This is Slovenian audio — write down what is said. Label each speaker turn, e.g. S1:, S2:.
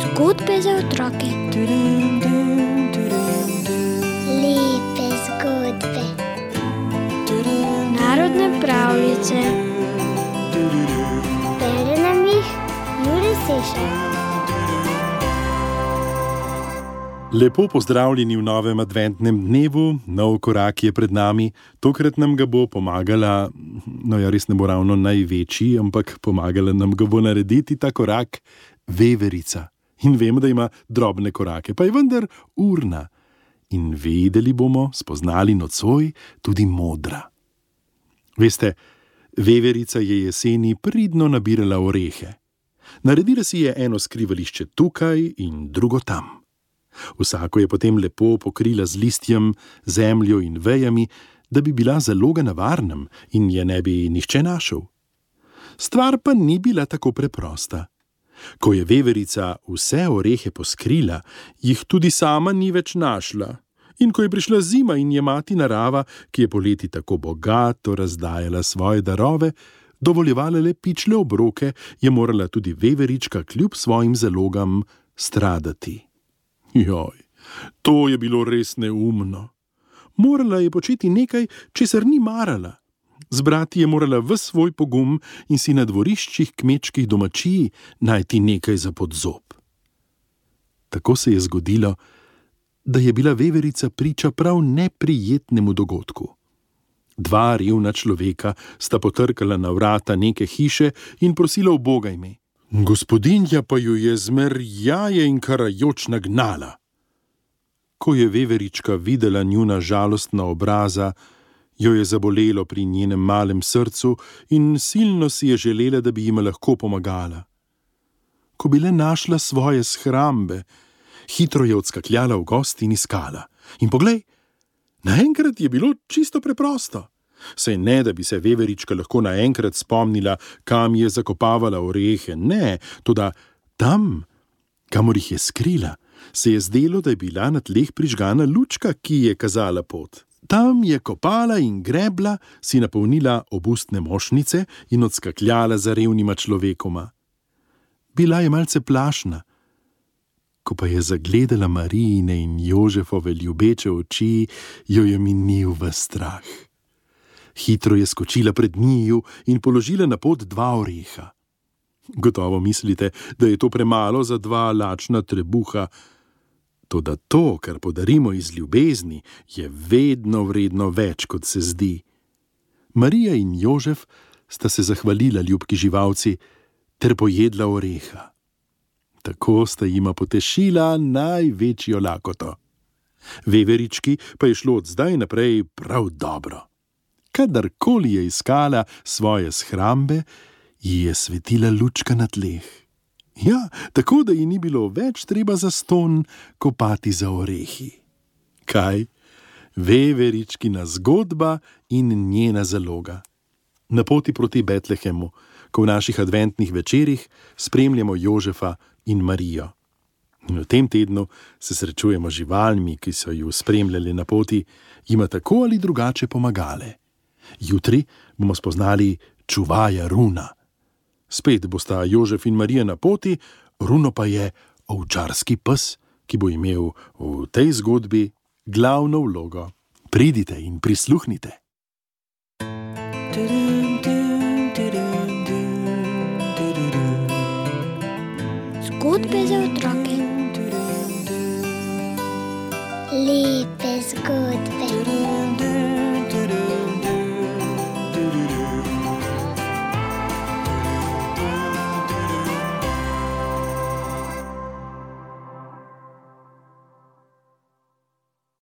S1: Zgodbe za otroke.
S2: Lepe zgodbe.
S1: Narodne pravljice.
S2: Bere nam jih Jure Sešar.
S3: Lepo pozdravljeni v novem adventnem dnevu, nov korak je pred nami, tokrat nam ga bo pomagala, res ne bo ravno največji, ampak pomagala nam ga bo narediti ta korak veverica. In vemo, da ima drobne korake, pa je vendar urna. In vedeli bomo, spoznali nocoj, tudi modra. Veste, veverica je jeseni pridno nabirala orehe. Naredila si je eno skrivališče tukaj in drugo tam. Vsako je potem lepo pokrila z listjem, zemljo in vejami, da bi bila zaloga na varnem in je ne bi nihče našel. Stvar pa ni bila tako preprosta. Ko je veverica vse orehe poskrila, jih tudi sama ni več našla. In ko je prišla zima in je mati narava, ki je poleti tako bogato razdajala svoje darove, dovoljevala le pičle obroke, je morala tudi veverička kljub svojim zalogam stradati. Joj, to je bilo res neumno. Morala je početi nekaj, česar ni marala. Zbrati je morala ves svoj pogum in si na dvoriščih kmečkih domačij najti nekaj za podzob. Tako se je zgodilo, da je bila veverica priča prav neprijetnemu dogodku. Dva revna človeka sta potrkala na vrata neke hiše in prosila ubogaj me. Gospodinja pa ju je zmerjaje in karajoč nagnala. Ko je veverička videla njuna žalostna obraza, jo je zabolelo pri njenem malem srcu in silno si je želela, da bi jima lahko pomagala. Ko bi le našla svoje shrambe, hitro je odskakljala v gost in iskala. In poglej, naenkrat je bilo čisto preprosto. Saj ne, da bi se veverička lahko naenkrat spomnila, kam je zakopavala orehe, ne, toda tam, kamor jih je skrila, se je zdelo, da je bila na tleh prižgana lučka, ki je kazala pot. Tam je kopala in grebla, si napolnila obustne mošnice in odskakljala za revnima človekoma. Bila je malce plašna. Ko pa je zagledala Marijine in Jožefove ljubeče oči, jo je minil ves strah. Hitro je skočila pred njiju in položila na pot 2 oreha. Gotovo mislite, da je to premalo za 2 lačna trebuha. Toda to, kar podarimo iz ljubezni, je vedno vredno več, kot se zdi. Marija in Jožef sta se zahvalila ljubki živalci ter pojedla oreha. Tako sta jima potešila največjo lakoto. Veverički pa je šlo od zdaj naprej prav dobro. Kadarkoli je iskala svoje shrambe, ji je svetila lučka na tleh. Ja, tako da ji ni bilo več treba zastonj kopati za orehi. Kaj? Veveričkina zgodba in njena zaloga. Na poti proti Betlehemu, ko v naših adventnih večerih spremljamo Jožefa in Marijo. In v tem tednu se srečujemo z živalmi, ki so ju spremljali na poti, jima tako ali drugače pomagale. Jutri bomo spoznali čuvaja Runa. Spet bosta Jožef in Marija na poti, Runo pa je ovčarski pes, ki bo imel v tej zgodbi glavno vlogo. Pridite in prisluhnite.
S1: Zgodbe za otroke.
S2: Lepe zgodbe.